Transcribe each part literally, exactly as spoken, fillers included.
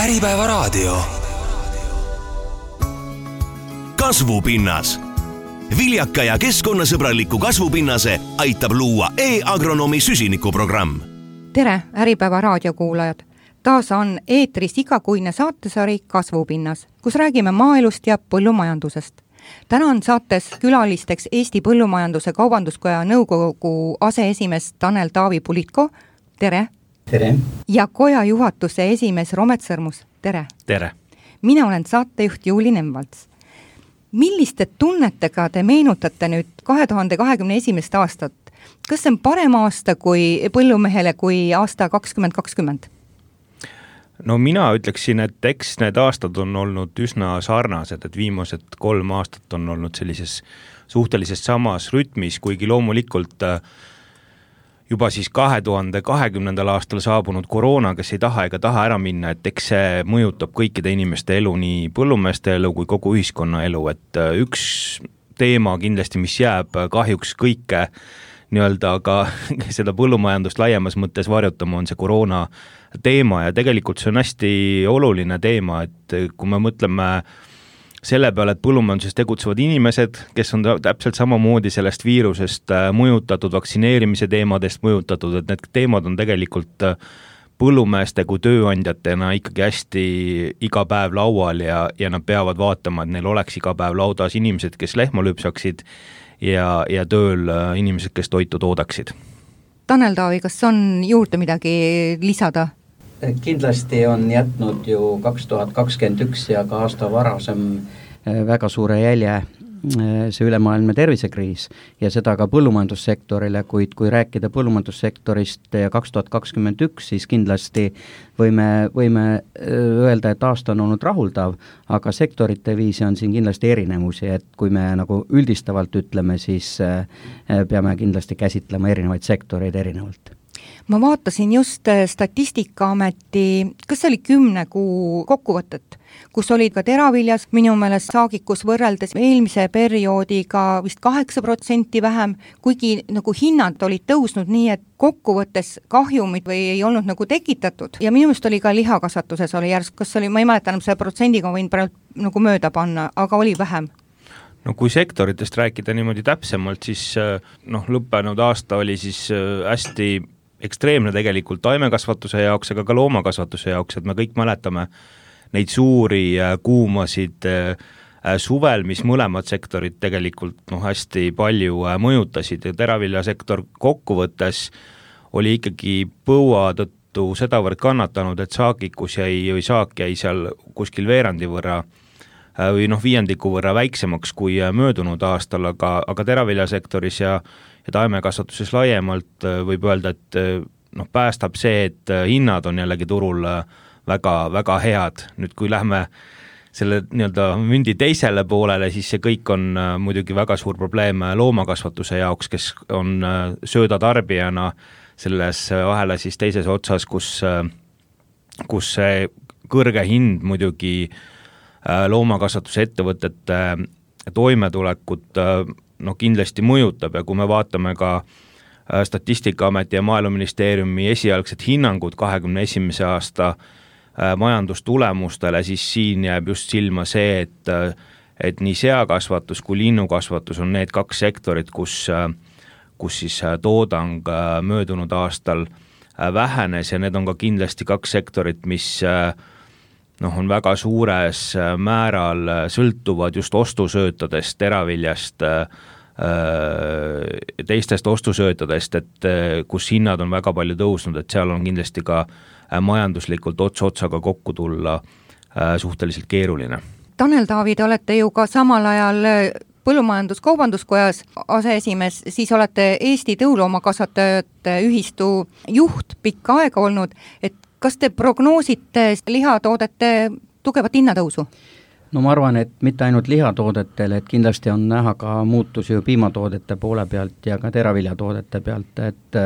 Äripäevaraadio. Kasvupinnas. Viljaka ja keskkonnasõbraliku kasvupinnase aitab luua e-agronomi süsinikuprogramm. Tere, Äripäeva raadiokuulajad! Taas on eetris igakuine saatesari Kasvupinnas, kus räägime maaelust ja põllumajandusest. Täna on saates külalisteks Eesti Põllumajanduse Kaubanduskoja nõukogu aseesimees Tanel Taavi Pulitko. Tere! Tere! Ja koja juhatuse esimees Romet Sõrmus. Tere! Tere! Mina olen saatejuht Juuli Nemvalts. Milliste tunnetega te meenutate nüüd kahe tuhande kahekümne esimest aastat? Kas see on parem aasta kui põllumehele kui aasta kakskümmend kakskümmend? No mina ütleksin, et eks need aastad on olnud üsna sarnased, et viimased kolm aastat on olnud sellises suhtelises samas rütmis, kuigi loomulikult juba siis kahe tuhande kahekümnendal aastal saabunud koroona, kes ei taha ega taha ära minna, et eks see mõjutab kõikide inimeste elu, nii põllumeeste elu kui kogu ühiskonna elu, et üks teema kindlasti, mis jääb kahjuks kõike nii-öelda aga seda põllumajandust laiemas mõttes varjutama, on see koroona teema ja tegelikult see on hästi oluline teema, et kui me mõtleme selle peale, et põllumajanduses tegutsevad inimesed, kes on täpselt samamoodi sellest viirusest mõjutatud, vaktsineerimise teemadest mõjutatud, et need teemad on tegelikult põllumeeste kui tööandjatena ikkagi hästi iga päev laual ja, ja nad peavad vaatama, et neil oleks iga päev laudas inimesed, kes lehma lüpsaksid ja, ja tööl inimesed, kes toitu toodaksid. Tanel Taavi, kas on juurde midagi lisada? Kindlasti on jätnud ju kaks tuhat kakskümmend üks ja ka aasta varasem väga suure jälje see ülemaailmne tervisekriis ja seda ka põllumajandussektorile, kuid kui rääkida põllumajandussektorist ja kaks tuhat kakskümmend üks, siis kindlasti võime, võime öelda, et aasta on olnud rahuldav, aga sektorite viisi on siin kindlasti erinevusi, et kui me nagu üldistavalt ütleme, siis peame kindlasti käsitlema erinevaid sektoreid erinevalt. Ma vaatasin just Statistikaameti, kas see oli kümne kuu kokkuvõtet, kus olid ka teraviljas minu meelest saagikus võrreldes eelmise perioodiga vist kaheksa protsenti vähem, kuigi nagu hinnad olid tõusnud nii, et kokkuvõttes kahjumid või ei olnud nagu tekitatud. Ja minu meelest oli ka lihakasvatuses oli järsk, kas oli, ma ei mäleta enam selle protsendiga võin praegu nagu mööda panna, aga oli vähem. No kui sektoritest rääkida niimoodi täpsemalt, siis noh, lõppenud aasta oli siis hästi ekstreemne tegelikult taimekasvatuse jaoks, aga ka loomakasvatuse jaoks, et me kõik mäletame neid suuri kuumasid suvel, mis mõlemad sektorid tegelikult noh, hästi palju mõjutasid ja teraviljasektor kokkuvõttes oli ikkagi põua tõttu sedavõrd kannatanud, et saagikus jäi, või saak jäi seal kuskil veerandi võrra või noh, viiendiku võrra väiksemaks kui möödunud aastal, aga, aga teraviljasektoris ja ja taimekasvatuses laiemalt võib öelda, et noh, päästab see, et hinnad on jällegi turul väga, väga head. Nüüd kui lähme selle nii-öelda mündi teisele poolele, siis see kõik on muidugi väga suur probleem loomakasvatuse jaoks, kes on söödatarbijana selles ahela siis teises otsas, kus, kus see kõrge hind muidugi loomakasvatuse ettevõtete toimetulekut no kindlasti mõjutab ja kui me vaatame ka Statistikaameti ja Maaeluministeeriumi esialgset hinnangut kahekümne esimese aasta majandustulemustele, siis siin jääb just silma see, et, et nii seakasvatus kui linnukasvatus on need kaks sektorit, kus, kus siis toodang möödunud aastal vähenes ja need on ka kindlasti kaks sektorit, mis noh, on väga suures määral sõltuvad just ostusöötadest, teraviljast, teistest ostusöötadest, et kus hinnad on väga palju tõusnud, et seal on kindlasti ka majanduslikult ots otsaga kokku tulla suhteliselt keeruline. Tanel Taavi, te olete ju ka samal ajal Põllumajandus-Kaubanduskojas aseesimees, siis olete Eesti tõuloomakasvatajate ühistu juht pikka aega olnud, et kas te prognoosite lihatoodete tugevat hinnatõusu? No ma arvan, et mitte ainult lihatoodetele, et kindlasti on näha ka muutusi ju piimatoodete poole pealt ja ka teraviljatoodete pealt, et,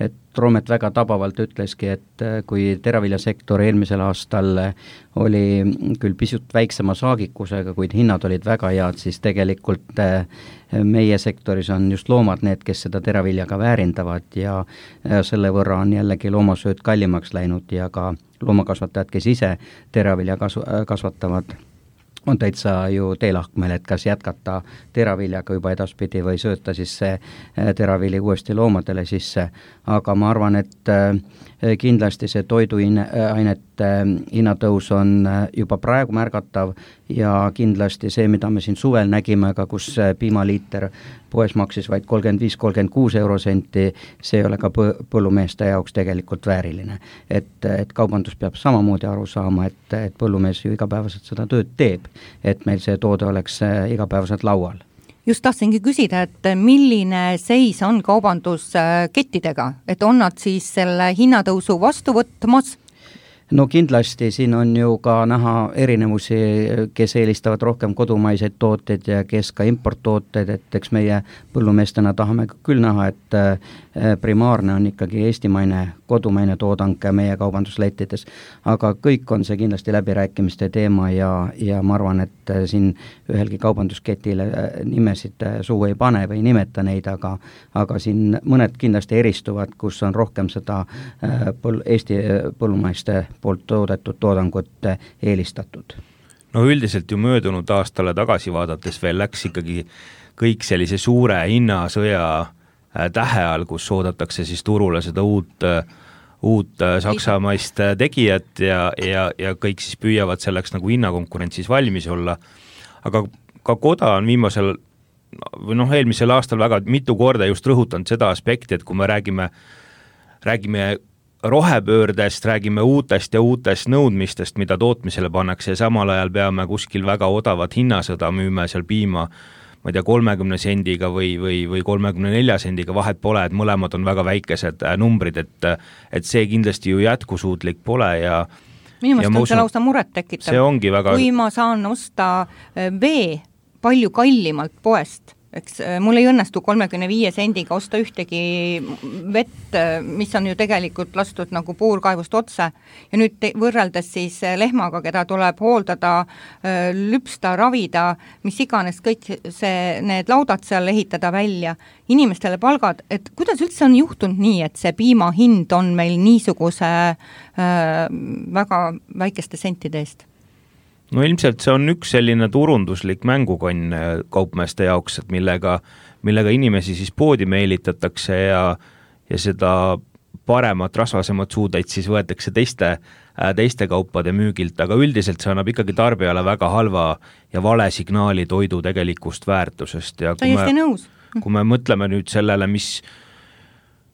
et Roomet väga tabavalt ütleski, et kui teraviljasektor eelmisel aastal oli küll pisut väiksema saagikusega, kuid hinnad olid väga head, siis tegelikult meie sektoris on just loomad need, kes seda teraviljaga väärindavad ja selle võrra on jällegi loomasööd kallimaks läinud ja ka loomakasvatajad, kes ise teravilja kasv- kasvatavad, on täitsa ju teelahkmel, et kas jätkata teraviljaga juba edaspidi või sööta siis see teravili uuesti loomadele sisse, aga ma arvan, et kindlasti see toiduainete hinnatõus on juba praegu märgatav ja kindlasti see, mida me siin suvel nägime, aga kus piimaliiter poes maksis vaid kolmkümmend viis kolmkümmend kuus eurosenti, see ei ole ka põllumeeste jaoks tegelikult vääriline. Et, et kaubandus peab samamoodi aru saama, et, et põllumees ju igapäevaselt seda tööd teeb, et meil see toode oleks igapäevaselt laual. Just tahtsingi küsida, et milline seis on kaubanduskettidega, et on nad siis selle hinnatõusu vastu võtmas? No kindlasti siin on ju ka näha erinevusi, kes eelistavad rohkem kodumaiseid tooteid ja kes ka importtooteid, et eks meie põllumeestena tahame küll näha, et primaarne on ikkagi eestimaine, kodumaine toodang meie kaubanduslettides, aga kõik on see kindlasti läbirääkimiste teema ja, ja ma arvan, et siin ühelgi kaubandusketile nimesid suu ei pane või nimeta neid, aga, aga siin mõned kindlasti eristuvad, kus on rohkem seda põl- Eesti põllumaiste poolt toodetud toodangut eelistatud. No üldiselt ju möödunud aastale tagasi vaadates veel läks ikkagi kõik sellise suure hinnasõja tähe all, kus oodatakse siis turule seda uut, uut saksamaist tegijat ja, ja, ja kõik siis püüavad selleks nagu hinnakonkurentsis valmis olla. Aga ka Koda on viimasel või noh, eelmisel aastal väga mitu korda just rõhutanud seda aspekti, et kui me räägime, räägime rohepöördest, räägime uutest ja uutest nõudmistest, mida tootmisele pannakse ja samal ajal peame kuskil väga odavat hinnasõda müüme seal piima, ma ei tea, kolmekümne sendiga või, või, või kolmekümne nelja sendiga, vahet pole, et mõlemad on väga väikesed numbrid, et, et see kindlasti ju jätkusuutlik pole ja minu meelest on see lausa muret tekitav. See ongi väga... Kui ma saan osta vee palju kallimalt poest, eks mul ei õnnestu kolmekümne viie sendiga osta ühtegi vett, mis on ju tegelikult lastud nagu puurkaivust otse ja nüüd te, võrreldes siis lehmaga, keda tuleb hooldada, lüpsta, ravida, mis iganes kõik see, need laudad seal ehitada välja, inimestele palgad, et kuidas üldse on juhtunud nii, et see piima hind on meil niisuguse äh, väga väikeste sentide eest? No ilmselt see on üks selline turunduslik mängukonn kaupmeeste jaoks, et millega, millega inimesi siis poodi meelitatakse ja, ja seda paremat, rasvasemat suudeid siis võetakse teiste, teiste kaupade müügilt, aga üldiselt see annab ikkagi tarbijale väga halva ja vale signaali toidu tegelikust väärtusest. Ja kui me, nõus. kui me mõtleme nüüd sellele, mis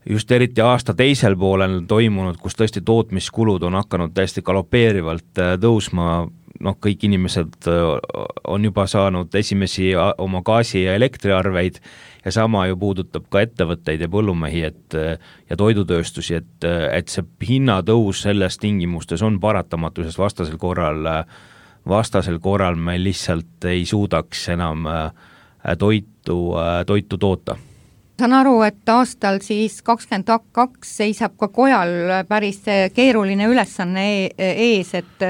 just eriti aasta teisel poolel toimunud, kus tõesti tootmiskulud on hakanud täiesti galopeerivalt tõusma, noh, kõik inimesed on juba saanud esimesi oma gaasi- ja elektriarveid ja sama ju puudutab ka ettevõtteid ja põllumehi et, ja toidutööstusi, et, et see hinnatõus selles tingimustes on paratamatu, sest vastasel korral, vastasel korral me lihtsalt ei suudaks enam toitu, toitu toota. Saan aru, et aastal siis kakskümmend kaks seisab ka Kojal päris keeruline ülesanne ees, et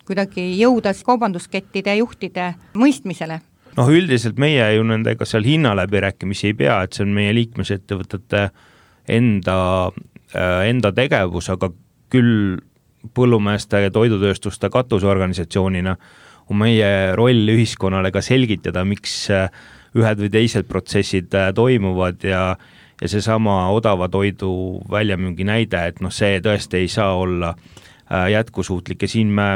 kuidagi jõuda kaubanduskettide juhtide mõistmisele? Noh, üldiselt meie ju nendega seal hinnaläbirääkimisi ei pea, et see on meie liikmesettevõtete enda, enda tegevus, aga küll põllumeeste ja toidutööstuste katusorganisatsioonina on meie roll ühiskonnale ka selgitada, miks ühed või teised protsessid toimuvad ja, ja see sama odava toidu väljamüügi näide, et noh, see tõesti ei saa olla jätkusuutlik ja siin me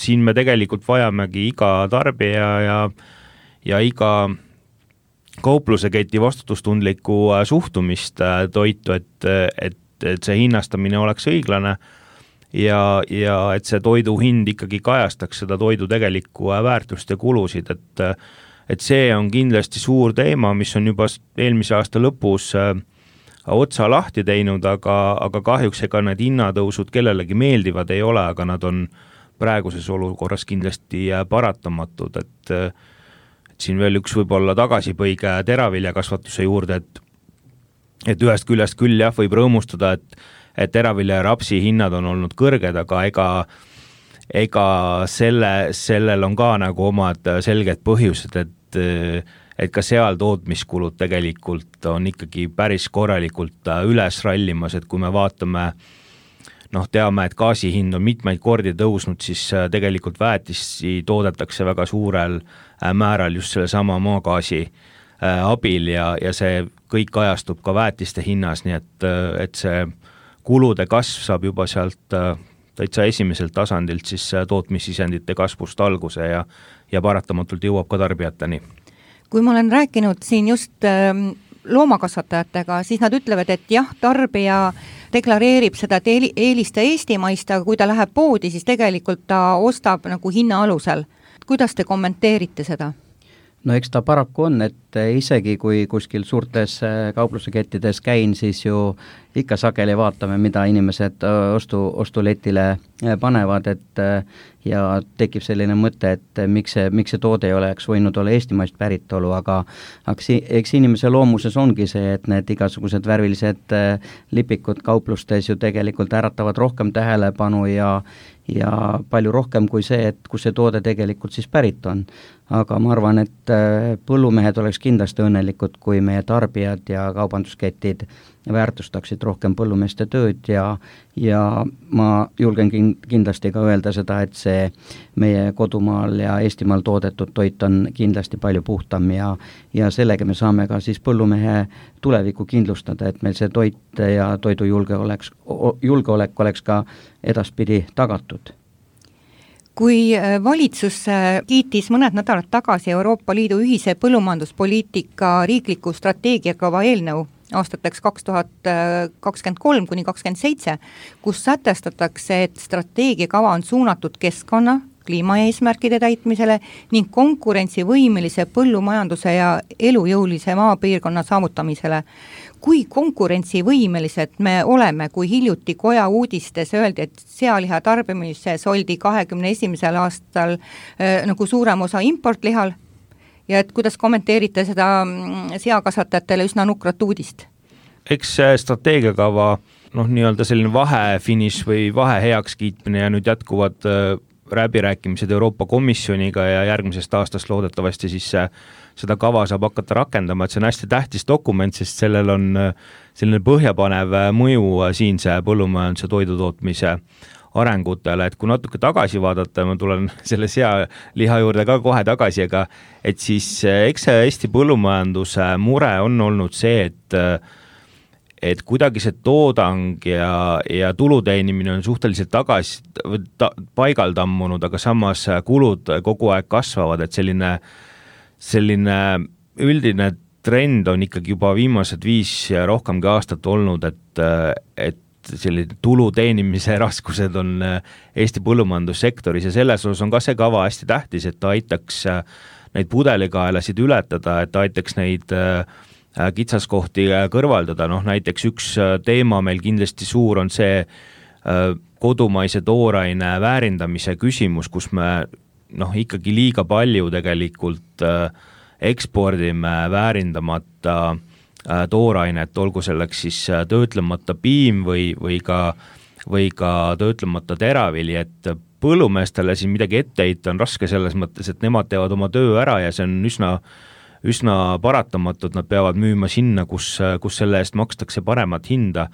siin me tegelikult vajamegi iga tarbija ja, ja iga kaupluse keti vastutustundlikku suhtumist toitu, et, et, et see hinnastamine oleks õiglane ja, ja et see toidu hind ikkagi kajastaks seda toidu tegelikku väärtust ja kulusid, et, et see on kindlasti suur teema, mis on juba eelmise aasta lõpus otsa lahti teinud, aga, aga kahjuks ega need hinnatõusud kellelegi meeldivad ei ole, aga nad on praeguses olukorras kindlasti paratamatud, et, et siin veel üks võib-olla tagasipõige teraviljakasvatuse juurde, et et ühest küljest küll jah, võib rõõmustada, et, et teravilja ja rapsi hinnad on olnud kõrged, aga ega, ega selle, sellel on ka nagu omad selged põhjused, et, et ka seal tootmiskulud tegelikult on ikkagi päris korralikult üles rallimas, et kui me vaatame, noh, teame, et gaasi hind on mitmeid kordi tõusnud, siis tegelikult väetisi toodetakse väga suurel määral just selle sama maagaasi abil ja, ja see kõik ajastub ka väetiste hinnas, nii et, et see kulude kasv saab juba sealt täitsa esimeselt tasandilt siis tootmissisendite kasvust alguse ja, ja paratamatult jõuab ka tarbijateni. Kui ma olen rääkinud siin just loomakasvatajatega, siis nad ütlevad, et jah, tarbija deklareerib seda, et eelista eestimaist, aga kui ta läheb poodi, siis tegelikult ta ostab nagu hinna alusel. Kuidas te kommenteerite seda? No eks ta paraku on, et isegi kui kuskil suurtes kauplusekettides käin, siis ju ikka sageli vaatame, mida inimesed ostu, ostuletile panevad, et ja tekib selline mõte, et miks see, miks see toode ei oleks võinud olla eestimaist päritolu, aga eks, eks inimese loomuses ongi see, et need igasugused värvilised lipikud kauplustes ju tegelikult äratavad rohkem tähelepanu ja ja palju rohkem kui see, et kus see toode tegelikult siis pärit on. Aga ma arvan, et põllumehed oleks kindlasti õnnelikud, kui meie tarbijad ja kaubandusketid väärtustaksid rohkem põllumeeste tööd ja, ja ma julgen kindlasti ka öelda seda, et see meie kodumaal ja Eestimaal toodetud toit on kindlasti palju puhtam ja, ja sellega me saame ka siis põllumehe tulevikku kindlustada, et meil see toit ja toidujulge oleks, julgeolek oleks ka edaspidi tagatud. Kui valitsus kiitis mõned nädalad tagasi Euroopa Liidu ühise põllumajanduspoliitika riikliku strateegiakava eelnõu aastateks kaks tuhat kakskümmend kolm kuni kakskümmend seitse, kus sätestatakse, et strateegiakava on suunatud keskkonna, kliimaeesmärkide täitmisele ning konkurentsivõimelise põllumajanduse ja elujõulise maapiirkonna saavutamisele. Kui konkurentsivõimelised me oleme, kui hiljuti koja uudistes öeldi, et sealiha tarbimises oldi kahekümne esimesel aastal äh, nagu suurem osa importlihal ja et kuidas kommenteerite seda seakasvatajatele üsna nukrat uudist? Eks strateegiakava, noh, nii-öelda selline vahefiniš või vahe heaks kiitmine ja nüüd jätkuvad läbirääkimised Euroopa Komisjoniga ja järgmisest aastast loodetavasti siis seda kava saab hakata rakendama, et see on hästi tähtis dokument, sest sellel on selline põhjapanev mõju siinse põllumajanduse toidutootmise arengutele, et kui natuke tagasi vaadata, ma tulen selle sealiha juurde ka kohe tagasi, aga et siis eks see Eesti põllumajanduse mure on olnud see, et et kuidagi see toodang ja, ja tuluteenimine on suhteliselt tagasi ta, paigal tammunud, aga samas kulud kogu aeg kasvavad, et selline, selline üldine trend on ikkagi juba viimased viis ja rohkemgi aastat olnud, et, et selline tuluteenimise raskused on Eesti põllumajandussektoris ja selles osas on ka see kava hästi tähtis, et ta aitaks neid pudelikaelasid ületada, et ta aitaks neid kitsaskohti kõrvaldada, noh näiteks üks teema meil kindlasti suur on see kodumaise tooraine väärindamise küsimus, kus me noh ikkagi liiga palju tegelikult ekspordime väärindamata toorainet, olgu selleks siis töötlemata piim või, või, ka, või ka töötlemata teravili, et põllumeestele siin midagi ette heita on raske selles mõttes, et nemad teevad oma töö ära ja see on üsna üsna paratamatult, nad peavad müüma sinna, kus, kus selle eest makstakse paremat hinda.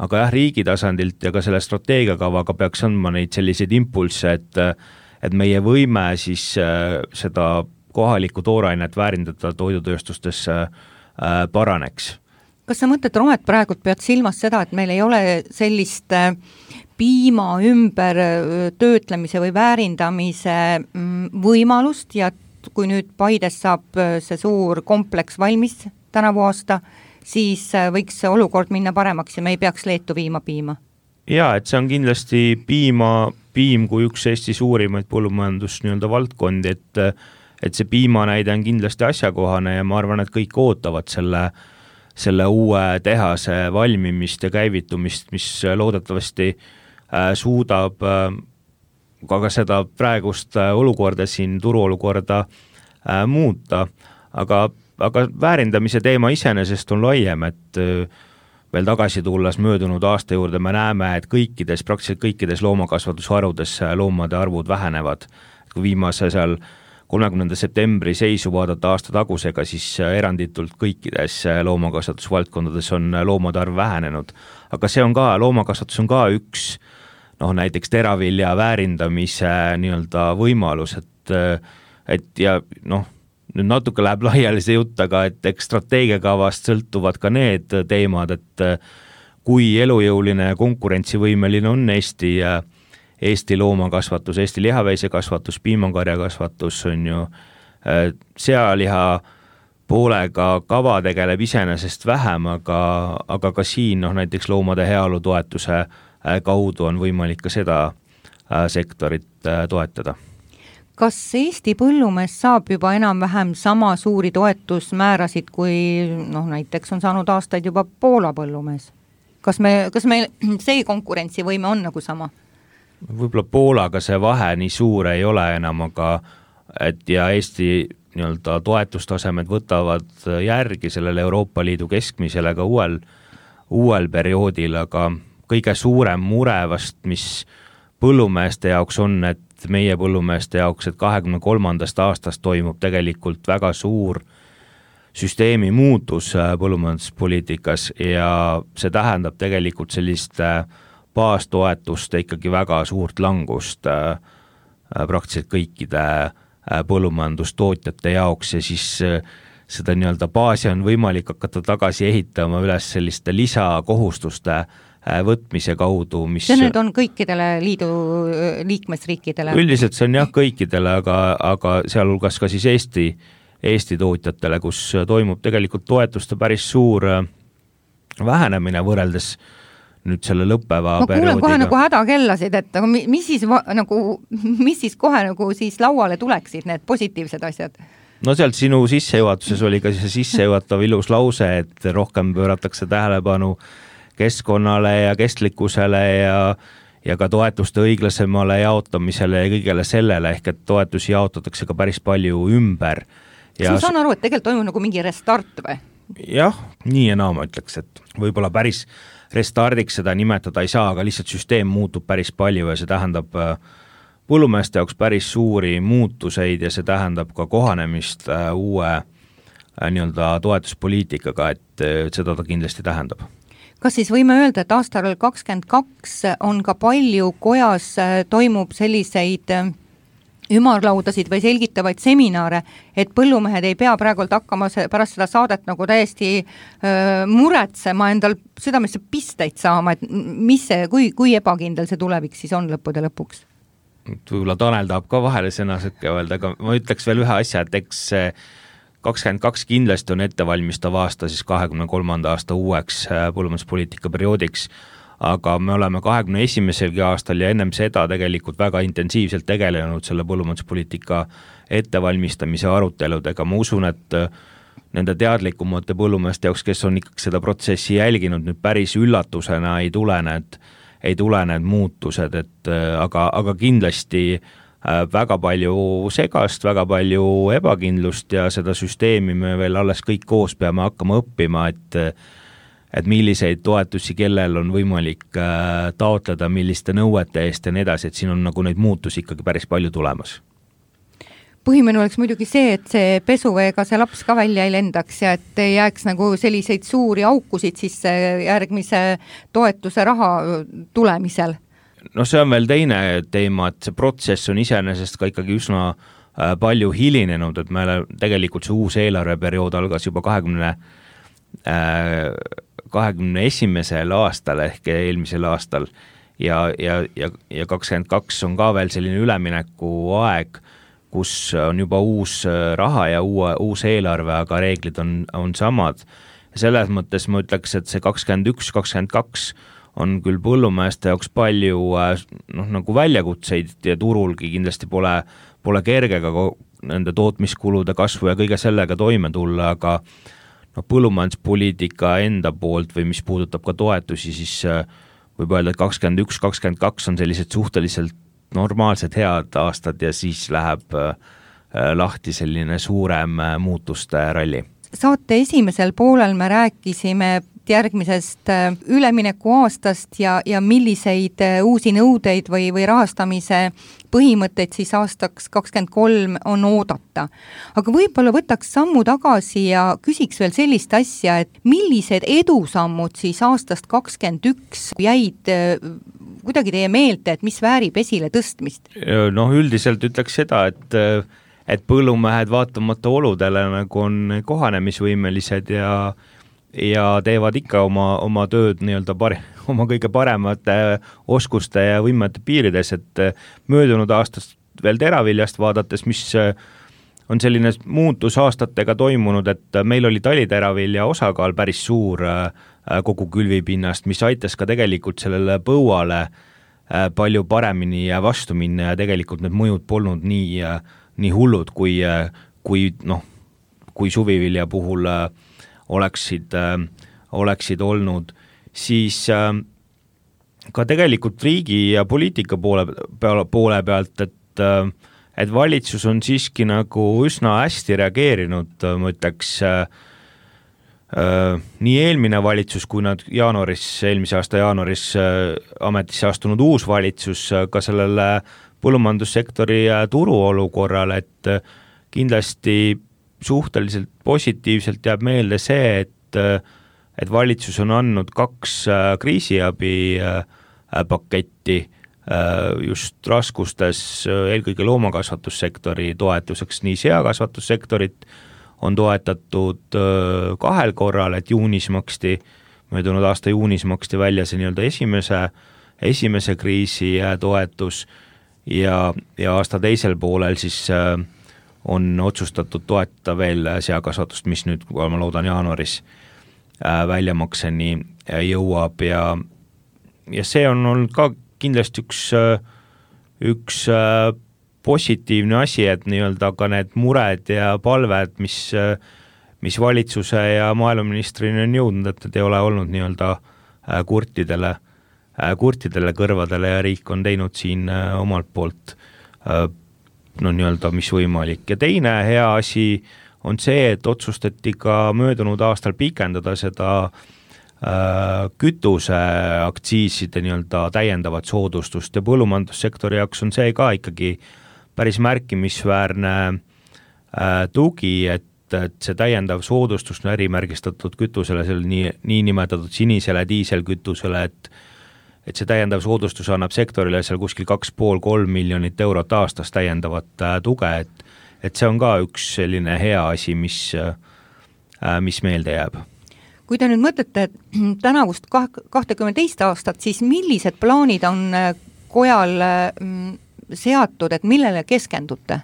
Aga jah, riigi tasandilt ja ka selle strateegiakavaga peaks andma neid selliseid impulsse, et, et meie võime siis seda kohalikku toorainet väärindada toidutööstustesse paraneks. Kas sa mõtled, Romet, praegult pead silmas seda, et meil ei ole sellist piima ümber töötlemise või väärindamise võimalust ja kui nüüd Paides saab see suur kompleks valmis tänavu aasta, siis võiks see olukord minna paremaks ja me ei peaks Leetu viima piima. Jaa, et see on kindlasti piima, piim kui üks Eesti suurimaid põllumajandus nii-öelda valdkondi, et, et see piimanäide on kindlasti asjakohane ja ma arvan, et kõik ootavad selle, selle uue tehase valmimist ja käivitumist, mis loodetavasti suudab aga seda praegust olukorda siin turuolukorda äh, muuta, aga aga väärindamise teema iseenesest on laiem, et veel tagasi tulles möödunud aasta juurde me näeme, et kõikides, praktiliselt kõikides loomakasvatusharudes loomade arvud vähenevad. Kui viimase seal kolmekümnenda septembri seisu vaadata aasta tagusega, siis eranditult kõikides loomakasvatusvaldkondades on loomade arv vähenenud. Aga see on ka, loomakasvatus on ka üks noh, näiteks teravilja väärindamise nii-öelda võimalus, et, et ja noh, nüüd natuke läheb laiali see jutt, aga et eks strateegiakavast sõltuvad ka need teemad, et kui elujõuline ja konkurentsivõimeline on Eesti, Eesti loomakasvatus, Eesti lihaveisekasvatus, piimakarjakasvatus on ju sealiha poolega kava tegeleb iseenesest vähem, aga, aga ka siin noh, näiteks loomade heaolu toetuse kaudu on võimalik ka seda sektorit toetada. Kas Eesti põllumees saab juba enam-vähem sama suuri toetusmäärasid, kui noh, näiteks on saanud aastaid juba Poola põllumees? Kas me, kas meil see konkurentsivõime on nagu sama? Võib-olla Poolaga see vahe nii suur ei ole enam, aga et ja Eesti nii-öelda toetustasemed võtavad järgi sellele Euroopa Liidu keskmisele ka uuel, uuel perioodil, aga kõige suurem mure vast, mis põllumeeste jaoks on, et meie põllumeeste jaoks, et kahekümne kolmandast aastast toimub tegelikult väga suur süsteemi muutus põllumajanduspoliitikas ja see tähendab tegelikult sellist baastoetuste ikkagi väga suurt langust praktiliselt kõikide põllumajandustootjate jaoks ja siis seda nii-öelda baasi on võimalik hakata tagasi ehitama üles selliste lisakohustuste võtmise kaudu, mis see nüüd on kõikidele liidu liikmesriikidele? Üldiselt see on jah kõikidele, aga, aga sealhulgas ka siis Eesti, Eesti tootjatele, kus toimub tegelikult toetuste päris suur vähenemine võrreldes nüüd selle lõppeva ma perioodiga. Ma kuulen kohe nagu hädakellasid, et mis siis, nagu, mis siis kohe nagu siis lauale tuleksid need positiivsed asjad? No sealt sinu sissejuhatuses oli ka see sissejuhatav ilus lause, et rohkem pööratakse tähelepanu keskkonnale ja kestlikkusele ja, ja ka toetuste õiglasemale jaotamisele ja kõigele sellele, ehk et toetusi jaotatakse ka päris palju ümber. Ja ma saan aru, et tegelikult toimub nagu mingi restart või? Jah, nii ja naa ma ütleks, et võib-olla päris restardiks seda nimetada ei saa, aga lihtsalt süsteem muutub päris palju ja see tähendab põllumeeste jaoks päris suuri muutuseid ja see tähendab ka kohanemist uue nii-öelda toetuspoliitikaga, et seda ta kindlasti tähendab. Kas siis võime öelda, et aastal kakskümmend kaks on ka palju kojas toimub selliseid ümarlaudasid või selgitavaid seminare, et põllumehed ei pea praegult hakkama pärast seda saadet nagu täiesti öö, muretsema endal südamesse pisteid saama, et mis see, kui, kui ebakindel see tulevik siis on lõppude lõpuks? Võib-olla Tanel tahab ka vahele sõna sõkke öelda, aga ma ütleks veel ühe asja, et eks kakskümmend kaks kindlasti on ettevalmistav aasta siis kahekümne kolmanda aasta uueks põllumajanduspoliitika perioodiks, aga me oleme kahekümne esimesel aastal ja ennem seda tegelikult väga intensiivselt tegelenud selle põllumajanduspoliitika ettevalmistamise aruteludega. Ma usun, et nende teadlikumate põllumeeste jaoks, kes on ikkagi seda protsessi jälginud, nüüd päris üllatusena ei tule need, ei tule need muutused, et aga, aga kindlasti väga palju segast, väga palju ebakindlust ja seda süsteemi me veel alles kõik koos peame hakkama õppima, et, et milliseid toetusi kellel on võimalik taotleda, milliste nõuete eest ja nii edasi, et siin on nagu neid muutusi ikkagi päris palju tulemas. Põhimene oleks muidugi see, et see pesuveega see laps ka välja ei lendaks ja et ei jääks nagu selliseid suuri aukusid siis järgmise toetuse raha tulemisel. No see on veel teine teema, et see protsess on iseenesest ka ikkagi üsna palju hilinenud, et meile tegelikult see uus eelarveperiood algas juba kahekümne, kahekümne esimesel aastal ehk eelmisel aastal ja, ja, ja, ja kakskümmend kaks on ka veel selline ülemineku aeg, kus on juba uus raha ja uue, uus eelarve, aga reeglid on, on samad. Selles mõttes ma ütleks, et see kakskümmend üks kakskümmend kaks on küll põllumeeste jaoks palju noh, nagu väljakutseid ja turulgi kindlasti pole, pole kergega nende tootmiskulude kasvu ja kõige sellega toime tulla, aga no, põllumajanduspoliitika enda poolt või mis puudutab ka toetusi, siis võib öelda, et kakskümmend üks kakskümmend kaks on sellised suhteliselt normaalsed head aastad ja siis läheb lahti selline suurem muutuste ralli. saate esimesel poolel me rääkisime järgmisest ülemineku aastast ja, ja milliseid uusi nõudeid või, või rahastamise põhimõtteid siis aastaks kakskümmend kolm on oodata. Aga võib-olla võtaks sammu tagasi ja küsiks veel sellist asja, et millised edusammud siis aastast kakskümmend üks jäid kuidagi teie meelde, et mis väärib esile tõstmist? Noh, üldiselt ütleks seda, et, et põllumehed vaatamata oludele nagu on kohanemisvõimelised ja ja teevad ikka oma, oma tööd nii-öelda pari, oma kõige paremate oskuste ja võimete piirides, et möödunud aastast veel teraviljast vaadates, mis on selline muutus aastatega toimunud, et meil oli taliteраvilja osakaal päris suur kogu külvipinnast, mis aitas ka tegelikult sellele põuale palju paremini vastu minna ja tegelikult need mõjud polnud nii, nii hullud, kui, kui, noh, kui suvivilja puhul oleksid, oleksid olnud, siis ka tegelikult riigi ja poliitika poole, poole pealt, et, et valitsus on siiski nagu üsna hästi reageerinud, ma ütleks, nii eelmine valitsus, kui nad jaanuaris, eelmise aasta jaanuaris ametisse astunud uus valitsus ka sellele põllumajandussektori turuolukorrale, et kindlasti suhteliselt positiivselt jääb meelde see, et, et valitsus on andnud kaks kriisiabi paketti just raskustes eelkõige loomakasvatussektori toetuseks, nii seakasvatussektorit on toetatud kahel korral, et juunis maksti, möödunud aasta juunis maksti välja see nii-öelda esimese, esimese kriisi toetus ja, ja aasta teisel poolel siis on otsustatud toetada veel seakasvatust, mis nüüd, kui ma loodan jaanuaris väljamakseni jõuab ja, ja see on olnud ka kindlasti üks, üks positiivne asi, et nii-öelda ka need mured ja palved, mis, mis valitsuse ja maaeluministrini on jõudnud, et need ei ole olnud nii-öelda kurtidele, kurtidele kõrvadele ja riik on teinud siin omalt poolt no nii-öelda mis võimalik. Ja teine hea asi on see, et otsustati ka möödunud aastal pikendada seda äh, kütuse aktsiiside nii-öelda täiendavat soodustust ja põllumajandussektori jaoks on see ka ikkagi päris märkimisväärne äh, tugi, et, et see täiendav soodustus on ärimärgistatud kütusele, selle nii, nii nimetatud sinisele diiselkütusele, et et see täiendav soodustus annab sektorile seal kuskil kaks pool kolm miljonit eurot aastas täiendavat tuge, et, et see on ka üks selline hea asi, mis, mis meelde jääb. Kui te nüüd mõtlete tänavust kakskümmend teist aastat, siis millised plaanid on kojal seatud, et millele keskendute?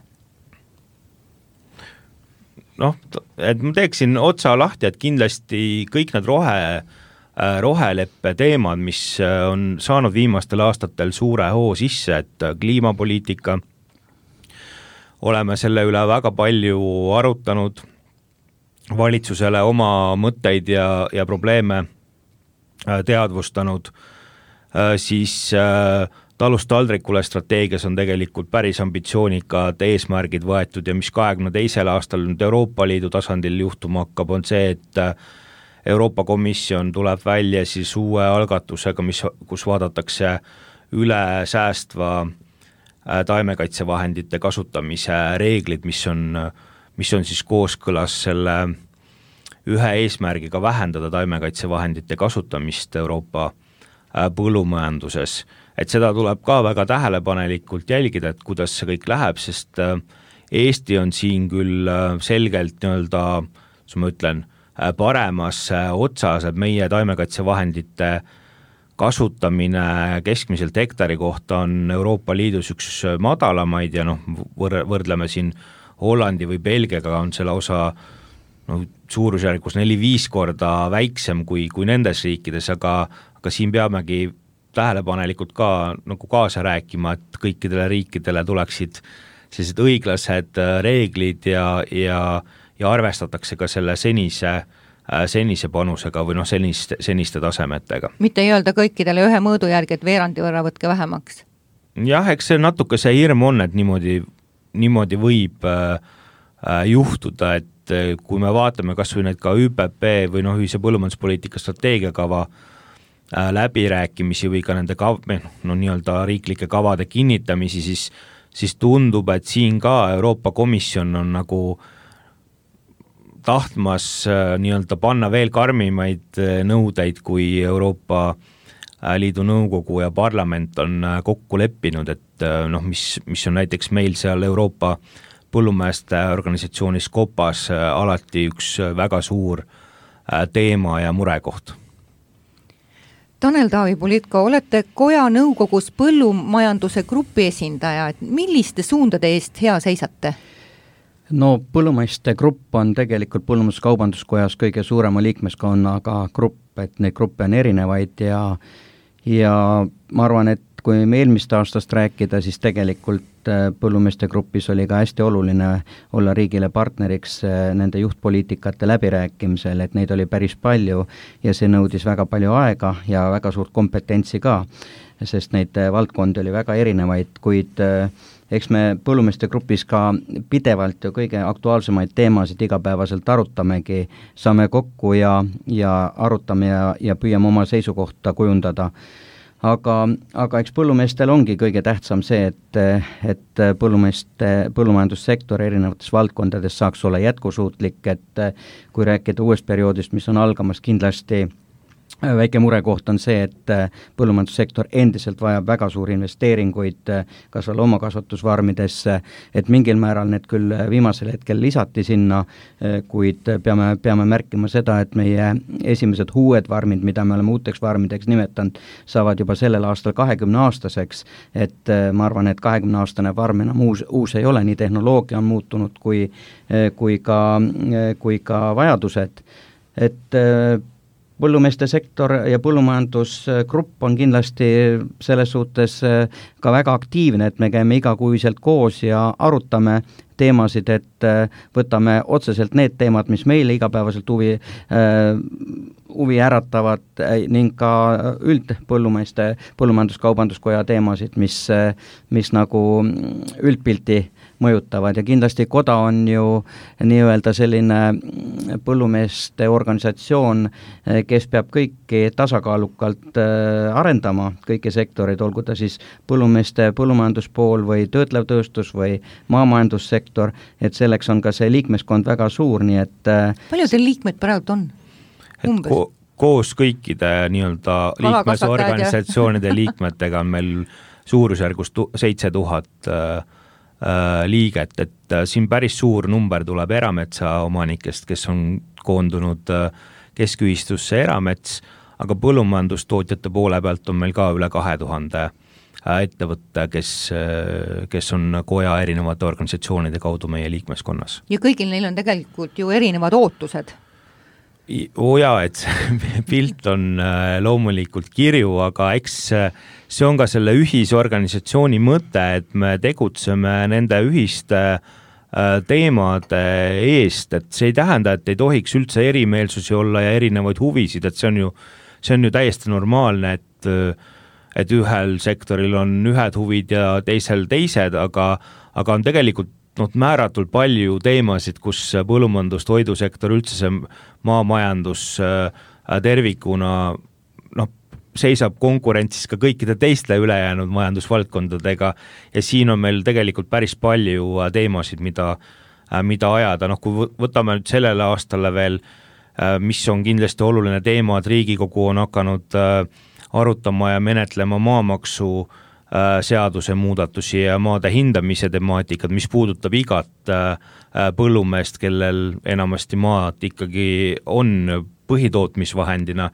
Noh, et ma teeksin otsa lahti, et kindlasti kõik need rohe roheleppe teemad, mis on saanud viimastel aastatel suure hoo sisse, et kliimapoliitika, oleme selle üle väga palju arutanud, valitsusele oma mõtteid ja, ja probleeme teadvustanud, siis talust taldrikule strateegias on tegelikult päris ambitsioonikad eesmärgid võetud ja mis kahekümne teisel aastal nüüd Euroopa Liidu tasandil juhtuma hakkab, on see, et Euroopa Komisjon tuleb välja siis uue algatusega, mis, kus vaadatakse üle säästva taimekaitsevahendite kasutamise reeglid, mis on, mis on siis kooskõlas selle ühe eesmärgiga vähendada taimekaitsevahendite kasutamist Euroopa põllumajanduses. Et seda tuleb ka väga tähelepanelikult jälgida, et kuidas see kõik läheb, sest Eesti on siin küll selgelt nii-öelda, kui ma ütlen, paremas otsas, et meie taimekaitsevahendite kasutamine keskmiselt hektari kohta on Euroopa Liidus üks madalamaid ja noh, võrdleme siin Hollandi või Belgiaga on selle osa no, suurusjärgus neli-viis korda väiksem kui, kui nendes riikides, aga, aga siin peamegi tähelepanelikult ka nagu kaasa rääkima, et kõikidele riikidele tuleksid sellised õiglased reeglid ja, ja ja arvestatakse ka selle senise, senise panusega või noh, seniste, seniste tasemetega. Mitte ei öelda kõikidele ühe mõõdu järgi, et veerandi võrra võtke vähemaks? Jah, eks see natuke see hirm on, et niimoodi, niimoodi võib, juhtuda, et kui me vaatame kas või need ka Ü P P või noh, ühise põllumajanduspoliitika strateegiakava läbirääkimisi või ka nende kav, no nii-öelda riiklike kavade kinnitamisi, siis, siis tundub, et siin ka Euroopa Komisjon on nagu tahtmas nii-öelda panna veel karmimaid nõudeid, kui Euroopa Liidu nõukogu ja parlament on kokku leppinud, et noh, mis, mis on näiteks meil seal Euroopa põllumeeste organisatsioonis Kopas alati üks väga suur teema ja murekoht. Tanel Taavi-Politko, olete koja nõukogus põllumajanduse grupi esindaja, et milliste suundade eest hea seisate? No põllumeeste grupp on tegelikult põllumajanduskaubanduskojas kõige suurema liikmeskonnaga grupp, et neid gruppe on erinevaid ja, ja ma arvan, et kui me eelmist aastast rääkida, siis tegelikult põllumeeste grupis oli ka hästi oluline olla riigile partneriks nende juhtpoliitikate läbirääkimisel, et neid oli päris palju ja see nõudis väga palju aega ja väga suurt kompetentsi ka, sest neid valdkondi oli väga erinevaid, kuid eks me põllumeeste grupis ka pidevalt ju kõige aktuaalsemaid teemasid igapäevaselt arutamegi, saame kokku ja, ja arutame ja, ja püüame oma seisukohta kujundada. Aga, aga eks põllumeestel ongi kõige tähtsam see, et, et põllumeeste, põllumajandussektor erinevates valdkondades saaks olla jätkusuutlik, et kui rääkida uuest perioodist, mis on algamas, kindlasti väike murekoht on see, et põllumajandussektor endiselt vajab väga suuri investeeringuid kas veel omakasvatusvarmidesse, et mingil määral need küll viimasel hetkel lisati sinna, kuid peame, peame märkima seda, et meie esimesed uued varmid, mida me oleme uuteks varmideks nimetanud, saavad juba sellel aastal kahekümne aastaseks, et ma arvan, et kahekümne aastane varm enam uus, uus ei ole, nii tehnoloogia on muutunud kui, kui, ka, kui ka vajadused, et põllumeeste sektor ja põllumajandusgrupp on kindlasti selles suhtes ka väga aktiivne, et me käime igakuiselt koos ja arutame teemasid, et võtame otseselt need teemad, mis meile igapäevaselt huvi, huvi äratavad ning ka üldpõllumeeste põllumajanduskaubanduskoja teemasid, mis, mis nagu üldpilti mõjutavad ja kindlasti koda on ju nii-öelda selline põllumeeste organisatsioon, kes peab kõiki tasakaalukalt arendama, kõiki sektoreid, olgu ta siis põllumeeste põllumajanduspool või töötlev tööstus või maamajandussektor, et selleks on ka see liikmeskond väga suur, nii et palju teil liikmed praegu on? Umbes? Ko- koos kõikide nii-öelda liikmesorganisatsioonide liikmetega on meil suurusjärgus tu- seitse tuhat liiget, et siin päris suur number tuleb erametsa omanikest, kes on koondunud keskühistusse eramets, aga põllumajandustootjate poole pealt on meil ka üle kahe tuhande ettevõtte, kes, kes on koja erinevate organisatsioonide kaudu meie liikmeskonnas. Ja kõigil neil on tegelikult ju erinevad ootused. Oo jaa, et pilt on loomulikult kirju, aga eks see on ka selle ühisorganisatsiooni mõte, et me tegutseme nende ühiste teemade eest, et see ei tähenda, et ei tohiks üldse erimeelsusi olla ja erinevaid huvisid, et see on ju, see on ju täiesti normaalne, et, et ühel sektoril on ühed huvid ja teisel teised, aga, aga on tegelikult no, määratult palju teemasid, kus põllumajandus, toidusektor, üldse see maamajandus tervikuna noh, seisab konkurentsis ka kõikide teiste ülejäänud majandusvaldkondadega ja siin on meil tegelikult päris palju teemasid, mida, mida ajada. Noh, kui võtame nüüd sellele aastale veel, mis on kindlasti oluline teema, et Riigikogu on hakanud arutama ja menetlema maamaksu seaduse muudatusi ja maade hindamise temaatikad, mis puudutab igat põllumeest, kellel enamasti maad ikkagi on põhitootmisvahendina.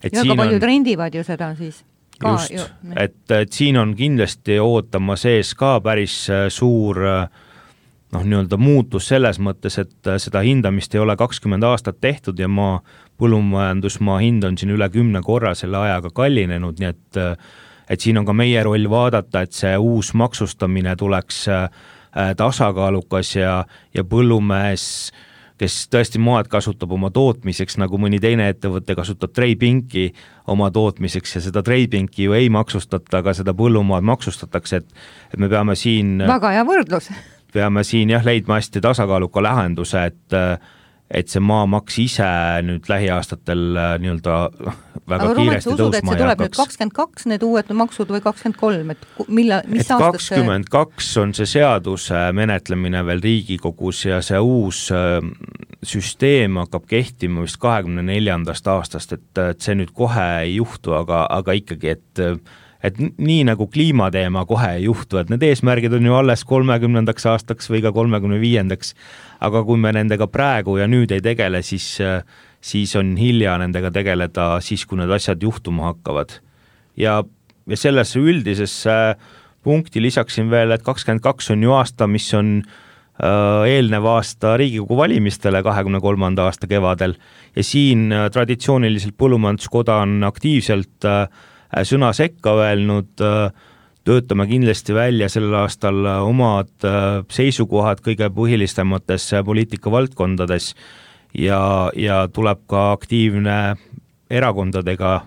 Et ja ka paljud on, rendivad ju seda siis. Ka just, ju, et, et siin on kindlasti ootama sees ka päris suur noh, nii-öelda muutus selles mõttes, et seda hindamist ei ole kakskümmend aastat tehtud ja maa põllumajandusmaa hind on siin üle kümne korra selle ajaga kallinenud, nii et et siin on ka meie roll vaadata, et see uus maksustamine tuleks tasakaalukas ja, ja põllumees, kes tõesti maad kasutab oma tootmiseks, nagu mõni teine ettevõte kasutab treipinki oma tootmiseks ja seda treipinki ju ei maksustata, aga seda põllumaad maksustatakse, et, et me peame siin väga hea võrdlus. peame siin jah leidma hästi tasakaaluka lahenduse, et et see maamaks ise nüüd lähiaastatel nii-öelda väga aga kiiresti usud, tõusma ei hakaks. nüüd kakskümmend kaks need uued maksud või kakskümmend kolm, et milla, mis et kakskümmend kaks on see seaduse menetlemine veel Riigikogus ja see uus süsteem hakkab kehtima vist kahekümne neljandast aastast, et, et see nüüd kohe ei juhtu, aga, aga ikkagi, et et nii nagu kliimateema kohe ei juhtu, et need eesmärgid on ju alles kolmekümnendaks aastaks või ka kolmekümne viiendaks, aga kui me nendega praegu ja nüüd ei tegele, siis, siis on hilja nendega tegeleda siis, kui need asjad juhtuma hakkavad. Ja, ja sellesse üldisesse punkti lisaksin veel, et kakskümmend kaks on ju aasta, mis on eelnev aasta Riigikogu valimistele kahekümne kolmanda aasta kevadel ja siin traditsiooniliselt põllumajanduskoda on aktiivselt sõna sekka öelnud, töötame kindlasti välja sellel aastal omad seisukohad kõige põhilistemates poliitikavaldkondades ja, ja tuleb ka aktiivne erakondadega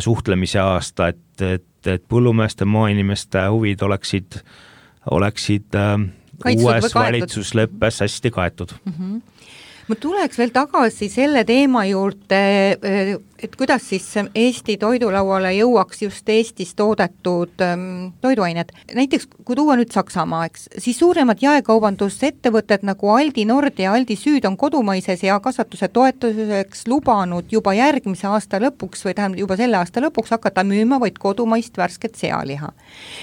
suhtlemise aasta, et, et, et põllumeeste maainimeste huvid oleksid, oleksid Kaitsud uues valitsusleppes hästi kaetud. Mm-hmm. Ma tuleks veel tagasi selle teema juurde, et kuidas siis Eesti toidulauale jõuaks just Eestis toodetud toiduained. Näiteks, kui tuua nüüd Saksamaa, eks, siis suuremad jaekaubandusettevõtted nagu Aldi Nord ja Aldi Süd on kodumaise seakasvatuse toetuseks lubanud juba järgmise aasta lõpuks või tähendab juba selle aasta lõpuks hakata müüma vaid kodumaist värsket sealiha.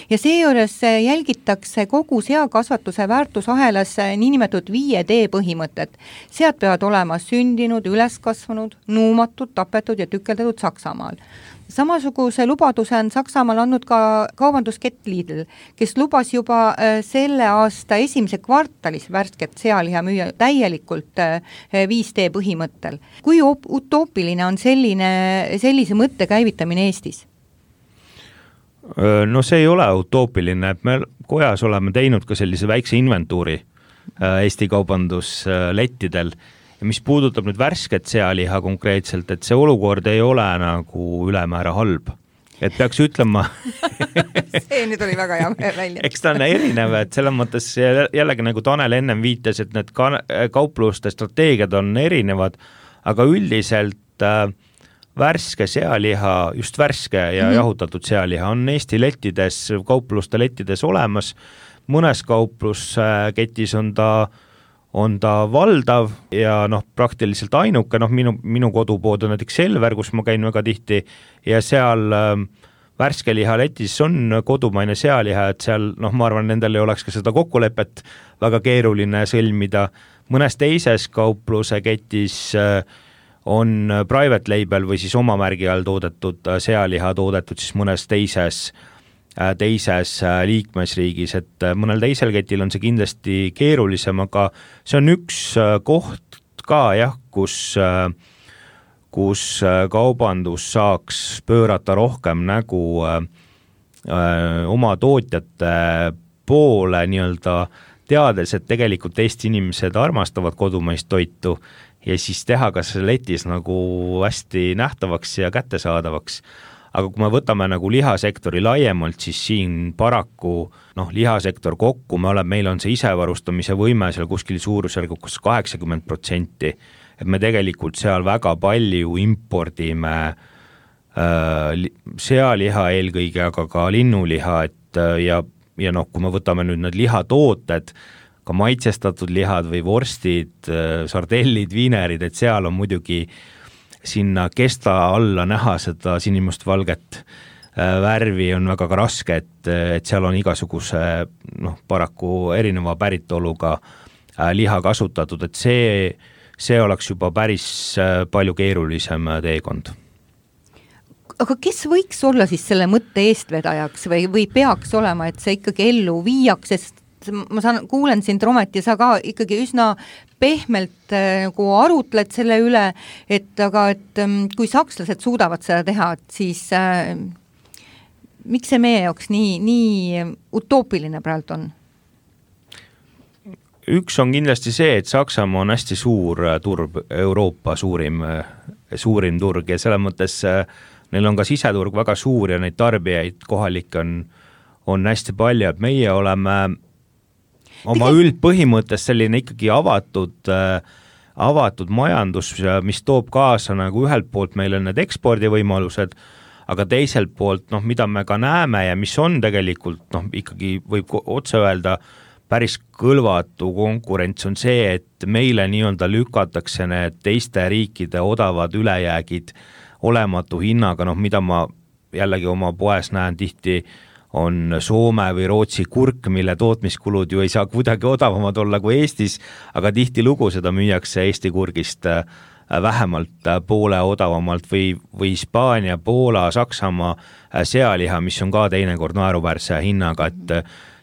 Ja seejuures jälgitakse kogu seakasvatuse väärtusahelas niinimetatud viie D põhimõtet. Sead peavad olema sündinud, üles kasvanud, nuumatud, tapetud ja tükeldatud Saksamaal. Samasuguse lubaduse on Saksamaal andnud ka kaubanduskett Lidl, kes lubas juba selle aasta esimese kvartalis värsket sealiha müüa täielikult viis D põhimõttel. Kui utoopiline on selline, sellise mõtte käivitamine Eestis? No see ei ole utoopiline, et me kojas oleme teinud ka sellise väikse inventuuri Eesti kaubanduslettidel. Ja mis puudutab nüüd värsket sealiha konkreetselt, et see olukord ei ole nagu ülemäära halb. Et peaks ütlema... see nüüd oli väga hea välja. Eks ta on erinev, et selles mõttes jällegi nagu Tanel ennem viitas, et need kaupluste strateegiad on erinevad, aga üldiselt värske sealiha, just värske ja mm-hmm. jahutatud sealiha on Eesti lettides, kaupluste lettides olemas. Mõnes kauplusketis on ta, on ta valdav ja noh, praktiliselt ainuke, noh minu, minu kodupood on näiteks Selver, kus ma käin väga tihti ja seal äh, värskeliha letis on kodumaine sealiha, et seal noh, ma arvan, nendel ei oleks ka seda kokkulepet väga keeruline sõlmida. Mõnes teises kaupluse ketis äh, on private label või siis oma märgi all toodetud sealiha toodetud siis mõnes teises teises liikmesriigis, et mõnel teisel ketil on see kindlasti keerulisem, aga see on üks koht ka jah, kus, kus kaubandus saaks pöörata rohkem nägu oma tootjate poole nii-öelda teades, et tegelikult Eesti inimesed armastavad kodumaist toitu ja siis teha ka see letis nagu hästi nähtavaks ja kättesaadavaks. Aga kui me võtame nagu lihasektori laiemalt, siis siin paraku noh, lihasektor kokku, me oleme, meil on see isevarustamise võime seal kuskil suurusjärgus kaheksakümmend protsenti, et me tegelikult seal väga palju impordime äh, sealiha eelkõige, aga ka linnuliha, et ja, ja noh, kui me võtame nüüd need lihatooted, ka maitsestatud lihad või vorstid, sardellid, viinerid, et seal on muidugi sinna kesta alla näha seda sinimust valget värvi on väga ka raske, et, et seal on igasuguse noh, paraku erineva päritoluga liha kasutatud, et see, see oleks juba päris palju keerulisem teekond. Aga kes võiks olla siis selle mõtte eestvedajaks või, või peaks olema, et see ikkagi ellu viiaks, sest ma saan, kuulen sind, Romet, ja sa ka ikkagi üsna pehmelt nagu arutled selle üle, et aga et kui sakslased suudavad seda teha, siis äh, miks see meie jaoks nii, nii utoopiline praegu on? Üks on kindlasti see, et Saksamaa on hästi suur turg, Euroopa suurim, suurim turg ja selle mõttes neil on ka siseturg väga suur ja neid tarbijaid kohalik on, on hästi palju, et meie oleme oma üldpõhimõttes selline ikkagi avatud, avatud majandus, mis toob kaasa nagu ühelt poolt meile need ekspordivõimalused, aga teiselt poolt, noh, mida me ka näeme ja mis on tegelikult, noh, ikkagi võib otse öelda, päris kõlvatu konkurents on see, et meile nii-öelda lükatakse need teiste riikide odavad ülejäägid olematu hinnaga, noh, mida ma jällegi oma poes näen tihti, on Soome või Rootsi kurk, mille tootmiskulud ju ei saa kuidagi odavamad olla kui Eestis, aga tihti lugu seda müüakse Eesti kurgist vähemalt poole odavamalt või, või Hispaania, Poola, Saksamaa sealiha, mis on ka teinekord naeruväärse hinnaga, et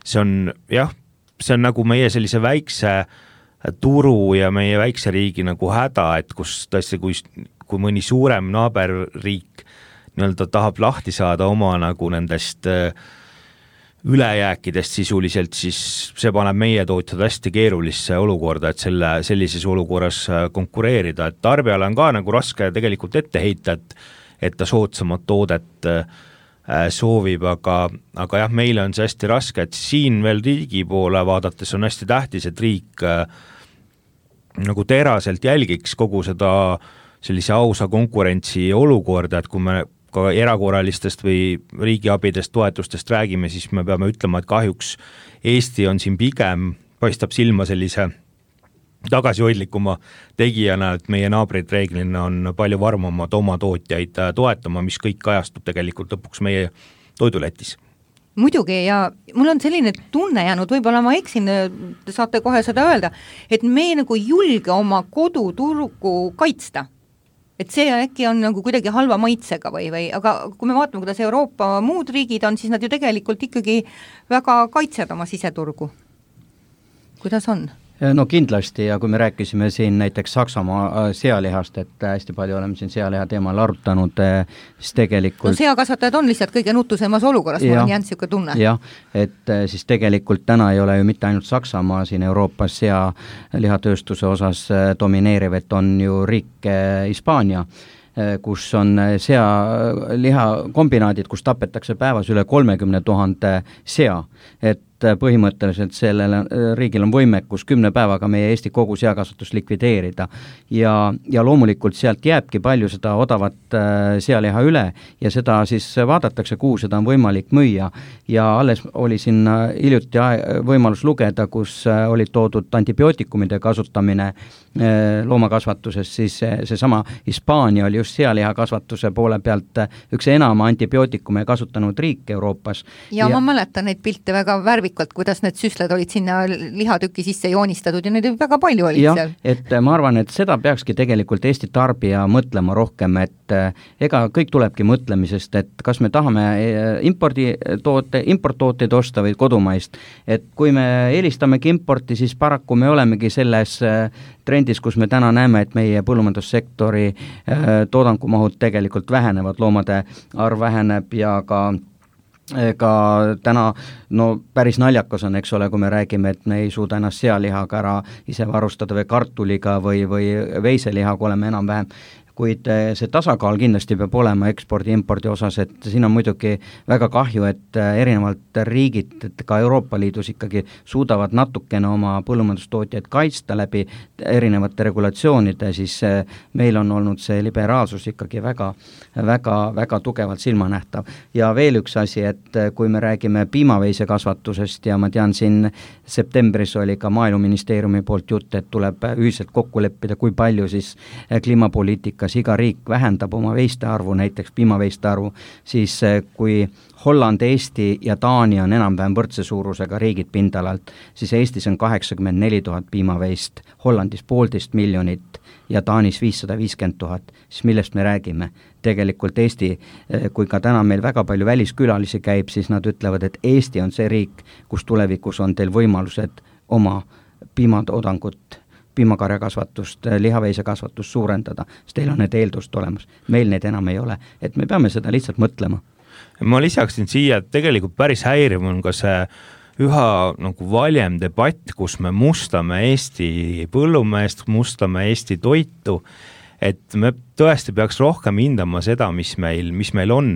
see on, jah, see on nagu meie sellise väikse turu ja meie väikse riigi nagu häda, et kus tõesti, kui, kui mõni suurem naaberriik nii-öelda tahab lahti saada oma nagu nendest ülejääkidest sisuliselt, siis see paneb meie tootjad hästi keerulisse olukorda, et selle, sellises olukorras konkureerida, et tarbijale on ka nagu raske tegelikult ette heita, et, et ta soodsamat toodet soovib, aga, aga jah, meile on see hästi raske, et siin veel riigi poole vaadates on hästi tähtis, et riik nagu teraselt jälgiks kogu seda sellise ausa konkurentsi olukorda, et kui me ka erakorralistest või riigiabidest, toetustest räägime, siis me peame ütlema, et kahjuks Eesti on siin pigem, paistab silma sellise tagasihoidlikuma tegijana, et meie naabrid reeglina on palju varmamad oma tootjaid toetama, mis kõik kajastub tegelikult lõpuks meie toiduletis. Muidugi, ja mul on selline tunne jäänud, võib-olla ma eksin, te saate kohe seda öelda, et me nagu julge oma koduturgu kaitsta. Et see äkki on nagu kuidagi halva maitsega või, või, aga kui me vaatame, kuidas Euroopa muud riigid on, siis nad ju tegelikult ikkagi väga kaitsevad oma siseturgu. Kuidas on? No kindlasti, ja kui me rääkisime siin näiteks Saksamaa sealihast, et hästi palju oleme siin sealiha teemal arutanud, siis tegelikult... No seakasvatajad on lihtsalt kõige nutusemas olukorras, mul on jäänud siuke tunne. Jah, et siis tegelikult täna ei ole ju mitte ainult Saksamaa siin Euroopas sealihatööstuse osas domineeriv, et on ju riik Hispaania, kus on sealiha kombinaadid, kus tapetakse päevas üle kolmekümne tuhande sea, et põhimõtteliselt sellele riigil on võimekus kümne päevaga meie Eesti kogu seakasvatus likvideerida ja, ja loomulikult sealt jääbki palju seda odavat sealiha üle ja seda siis vaadatakse, kuhu seda on võimalik müüa ja alles oli siin hiljuti võimalus lugeda, kus oli toodud antibiootikumide kasutamine loomakasvatuses, siis see sama Hispaania oli just sealiha kasvatuse poole pealt üks enama antibiootikume kasutanud riik Euroopas. Ja, ja ma mäletan neid pilte väga värvikalt, kuidas need süsled olid sinna lihatüki sisse joonistatud ja neid väga palju olid ja, seal. Et ma arvan, et seda peakski tegelikult Eesti tarbija mõtlema rohkem, et ega kõik tulebki mõtlemisest, et kas me tahame imporditoote, importtooteid osta või kodumaist, et kui me eelistammegi importi, siis paraku me olemegi selles trendis, kus me täna näeme, et meie põllumajandussektori toodangumahud tegelikult vähenevad, loomade arv väheneb ja ka ka täna no päris naljakas on, eks ole, kui me räägime, et me ei suuda ennast sealihaga ära ise varustada või kartuliga või, või veiselihaga oleme enam-vähem, kuid see tasakaal kindlasti peab olema ekspordi-impordi osas, et siin on muidugi väga kahju, et erinevalt riigid, et ka Euroopa Liidus ikkagi suudavad natukene oma põllumajandustootjaid kaitsta läbi erinevate regulatsioonide, siis meil on olnud see liberaalsus ikkagi väga, väga, väga tugevalt silmanähtav. Ja veel üks asi, et kui me räägime piimaveise kasvatusest ja ma tean, siin septembris oli ka Maaeluministeeriumi poolt jutt, et tuleb ühiselt kokku leppida, kui palju siis kliimapoliitika kas iga riik vähendab oma veiste arvu, näiteks piimaveiste arvu, siis kui Holland, Eesti ja Taani on enam-vähem võrdse suurusega riigid pindalalt, siis Eestis on kaheksakümmend neli tuhat piimaveist, Hollandis poolteist miljonit ja Taanis viissada viiskümmend tuhat, siis millest me räägime? Tegelikult Eesti, kui ka täna meil väga palju väliskülalisi käib, siis nad ütlevad, et Eesti on see riik, kus tulevikus on teil võimalused oma piimatoodangut piimakarjakasvatust, lihaveisekasvatust suurendada, sest teil on need eeldust olemas. Meil need enam ei ole, et me peame seda lihtsalt mõtlema. Ma lisaksin siia, et tegelikult päris häiriv on ka see üha nagu valjem debatt, kus me mustame Eesti põllumeest, mustame Eesti toitu, et me tõesti peaks rohkem hindama seda, mis meil, mis meil on.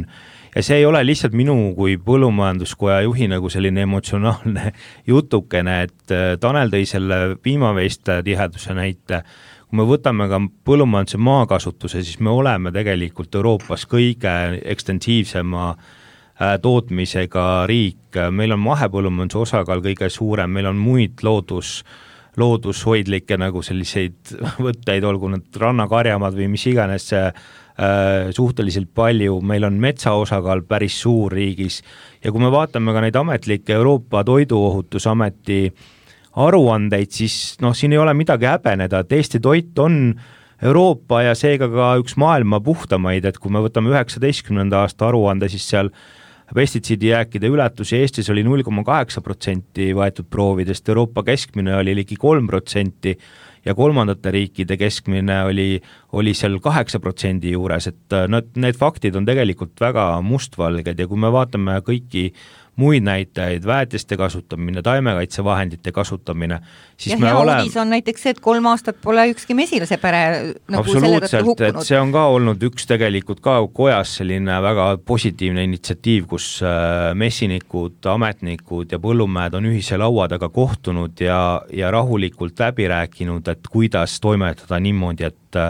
ja see ei ole lihtsalt minu kui põllumajanduskoja juhi nagu selline emotsionaalne jutukene, et Tanel tõi selle piimaveiste tiheduse näite. Kui me võtame ka põllumajanduse maakasutuse, siis me oleme tegelikult Euroopas kõige ekstensiivsema tootmisega riik. Meil on mahepõllumajanduse osakaal kõige suurem, meil on muid loodus loodushoidlikke nagu selliseid võtteid, olgu need rannakarjamad või mis iganes see äh, suhteliselt palju, meil on metsa osakaal päris suur riigis ja kui me vaatame ka neid ametlikke Euroopa Toiduohutusameti aruandeid, siis noh, siin ei ole midagi häbeneda, et Eesti toit on Euroopa ja seega ka üks maailma puhtamaid, et kui me võtame üheksateistkümnenda aasta aruande, siis seal pestitsiidijääkide ületusi Eestis oli null koma kaheksa protsenti võetud proovidest, Euroopa keskmine oli ligi kolm protsenti ja kolmandate riikide keskmine oli, oli seal kaheksa protsendi juures, et need, need faktid on tegelikult väga mustvalged ja kui me vaatame kõiki muid näitajaid, väetiste kasutamine, taimekaitsevahendite kasutamine, siis ja me hea oleme... uudis on näiteks see, et kolm aastat pole ükski mesilase pere nagu selle tõttu hukkunud. See on ka olnud üks tegelikult ka kojas selline väga positiivne initsiatiiv, kus messinikud, ametnikud ja põllumehed on ühise laua taga kohtunud ja, ja rahulikult läbi rääkinud, et kuidas toimetada niimoodi, et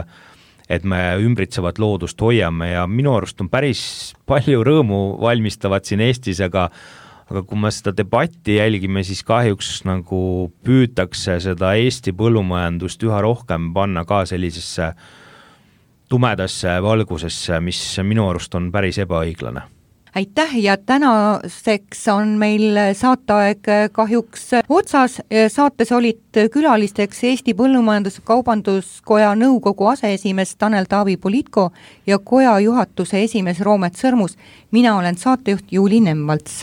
et me ümbritsevat loodust hoiame ja minu arust on päris palju rõõmu valmistavad siin Eestis, aga, aga kui me seda debatti jälgime, siis kahjuks nagu püütakse seda Eesti põllumajandust üha rohkem panna ka sellisesse tumedasse valgusesse, mis minu arust on päris ebaõiglane. Aitäh ja tänaseks on meil saateaeg kahjuks otsas. Saates olid külalisteks Eesti Põllumajandus-Kaubanduskoja nõukogu aseesimees Tanel Taavi Politko ja koja juhatuse esimees Roomet Sõrmus. Mina olen saatejuht Juuli Nemvalts.